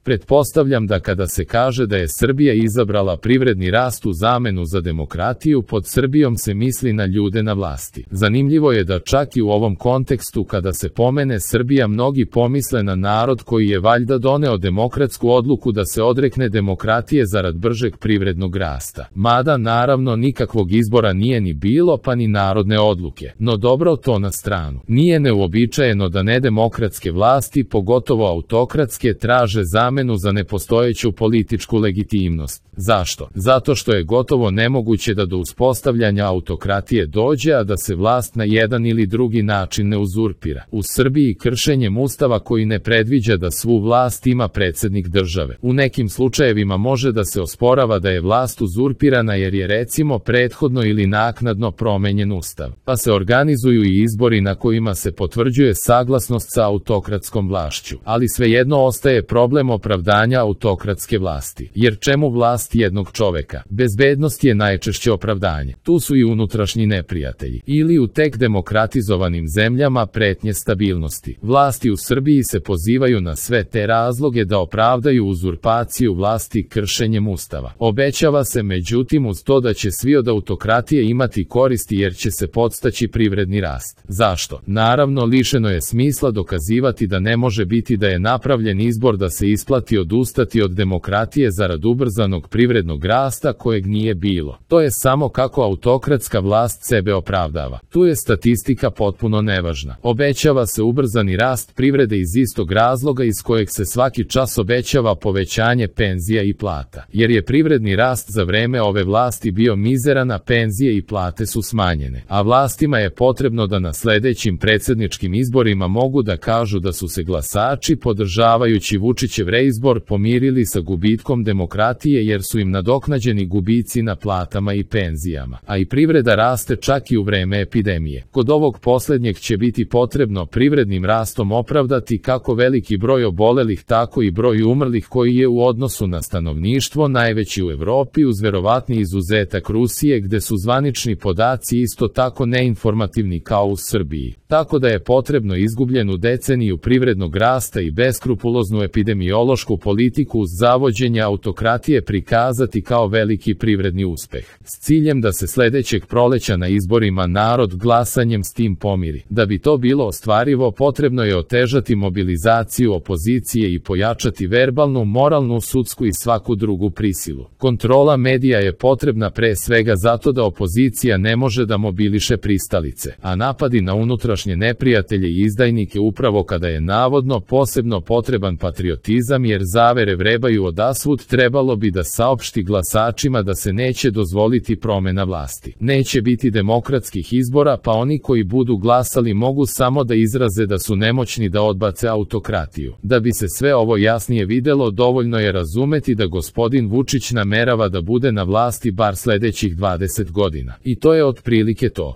Pretpostavljam da kada se kaže da je Srbija izabrala privredni rast u zamenu za demokratiju, pod Srbijom se misli na ljude na vlasti. Zanimljivo je da čak i u ovom kontekstu kada se pomene Srbija mnogi pomisle na narod koji je valjda doneo demokratsku odluku da se odrekne demokratije zarad bržeg privrednog rasta. Mada naravno nikakvog izbora nije ni bilo pa ni narodne odluke. No dobro, to na stranu. Nije neuobičajeno da nedemokratske vlasti, pogotovo autokratske, traže zamenu za nepostojeću političku legitimnost. Zašto? Zato što je gotovo nemoguće da do uspostavljanja autokratije dođe, a da se vlast na jedan ili drugi način ne uzurpira. U Srbiji kršenjem Ustava koji ne predviđa da svu vlast ima predsjednik države. U nekim slučajevima može da se osporava da je vlast uzurpirana jer je recimo prethodno ili naknadno promenjen Ustav. Pa se organizuju i izbori na kojima se potvrđuje saglasnost sa autokratskom vlašću. Ali svejedno ostaje problem opravdanja autokratske vlasti. Jer čemu vlast jednog čoveka? Bezbednost je najčešće opravdanje. Tu su i unutrašnji neprijatelji. Ili u tek demokratizovanim zemljama pretnje stabilnosti. Vlasti u Srbiji se pozivaju na sve te razloge da opravdaju uzurpaciju vlasti kršenjem Ustava. Obećava se međutim uz to da će svi od autokratije imati koristi jer će se podstaći privredni rast. Zašto? Naravno, lišeno je smisla dokazivati da ne može biti da je napravljen izbor da se isplati odustati od demokratije zarad ubrzanog privrednog rasta kojeg nije bilo. To je samo kako autokratska vlast sebe opravdava. Tu je statistika potpuno nevažna. Obećava se ubrzani rast privrede iz istog razloga iz kojeg se svaki čas obećava povećanje penzija i plata. Jer je privredni rast za vreme ove vlasti bio mizeran, a penzije i plate su smanjene. A vlastima je potrebno da na sledećim predsjedničkim izborima mogu da kažu da su se glasači podržavajući Vučićev reizbor pomirili sa gubitkom demokratije jer su im nadoknađeni gubici na platama i penzijama. A i privreda raste čak i u vreme epidemije. Kod ovog posljednjeg će biti potrebno privrednim rastom opravdati kako veliki broj obolelih tako i broj umrlih koji je u odnosu na stanovništvo najveći u Evropi uz verovatni izuzetak Rusije gde su zvanični podaci isto tako neinformativni kao u Srbiji. Tako da je potrebno izgubljenu deceniju privrednog rasta i beskrupuloznu epidemiološku politiku uz zavođenje autokratije prikazati kao veliki privredni uspeh. S ciljem da se sledećeg proleća na izborima narod glasanjem s tim pomiri. Da bi to bilo ostvarivo, potrebno je otežati mobilizaciju opozicije i pojačati verbalnu, moralnu, sudsku i svaku drugu prisilu. Kontrola medija je potrebna pre svega zato da opozicija ne može da mobiliše pristalice, a napadi na unutrašnje neprijatelje i izdajnike upravo kada je navodno posebno potreban patriotizam jer zavere vrebaju odasvud trebalo bi da saopšti glasačima da se neće dozvoliti promena vlasti. Neće biti demokratskih izbora pa oni koji budu glasali mogu samo da izraze da su nemoćni da odbace autokratiju. Da bi se sve ovo jasnije videlo dovoljno je razumeti da gospodin Vučić namerava da bude na vlasti bar sledećih 20 godina. I to je otprilike to.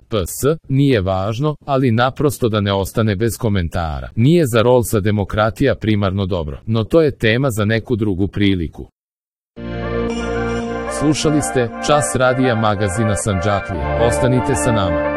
Nije važno, ali naprosto da ne ostane bez komentara. Nije za Rolsa demokratija primarno dobro, no to je tema za neku drugu priliku. Slušali ste Čas radija magazina Sandžaklija. Ostanite sa nama.